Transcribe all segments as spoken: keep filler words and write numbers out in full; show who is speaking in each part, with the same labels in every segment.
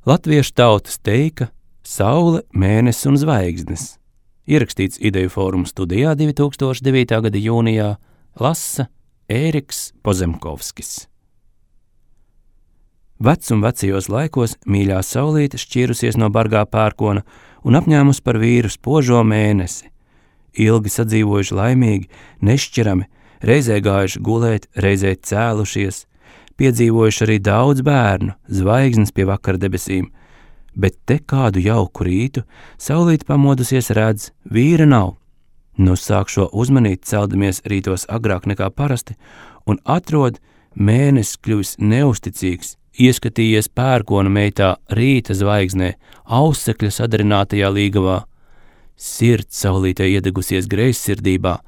Speaker 1: Latviešu tautas teika Saule, mēnesis un zvaigznes. Ierakstīts Ideju fóruma studijā divi tūkstoši devītā gada jūnijā, lasa Ēriks Pozemkovskis. Vec un vecajos laikos mīļā saulīte šķīrusies no bargā pērkona un apņēmus par vīru spožo mēnesi. Ilgi sadzīvojuši laimīgi, nešķirami, reizē gājuši gulēt, reizē cēlušies, piedzīvojuši arī daudz bērnu, zvaigznes pie vakara debesīm, bet te kādu jauku rītu saulīte pamodusies redz, vīra nav. Nu sāk šo uzmanīt, celdamies rītos agrāk nekā parasti, un atrod mēnesis kļuvis neusticīgs, ieskatījies pērkona meitā rīta zvaigznē, ausekļa sadarinātajā līgavā. Sirds saulītei iedegusies greizsirdībā,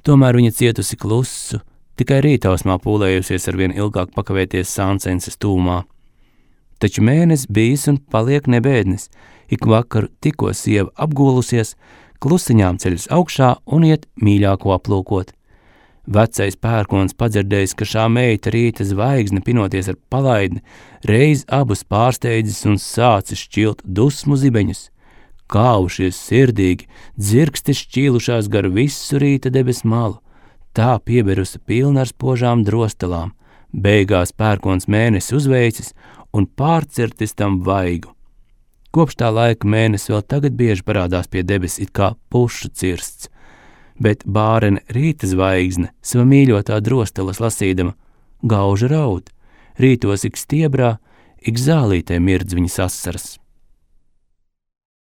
Speaker 1: tomēr viņa cietusi klusu, tikai rītausmā pūlējusies ar vien ilgāk pakavēties sāncenses tūmā. Taču mēnesis bijis un paliek nebēdnis, ik vakaru tikko sieva apgūlusies, klusiņām ceļas augšā un iet mīļāko aplūkot. Vecais pērkons padzirdējis, ka šā meita rīta zvaigzne pinoties ar palaidni, reiz abus pārsteidzis un sācis šķilt dusmu zibeņus. Kāvušies sirdīgi, dzirksti šķīlušās gar visu rīta debes malu, tā pieberusi pilna ar spožām drostelām, beigās pērkons mēnesi uzveicis un pārcirtis tam vaigu. Kopš tā laika mēnesis vēl tagad bieži parādās pie debes it kā pušu cirsts, bet bārene rīta zvaigzne, sava mīļotā drostelas lasīdama, gauža raud, rītos ik stiebrā, ik zālītē mirdz viņas asaras.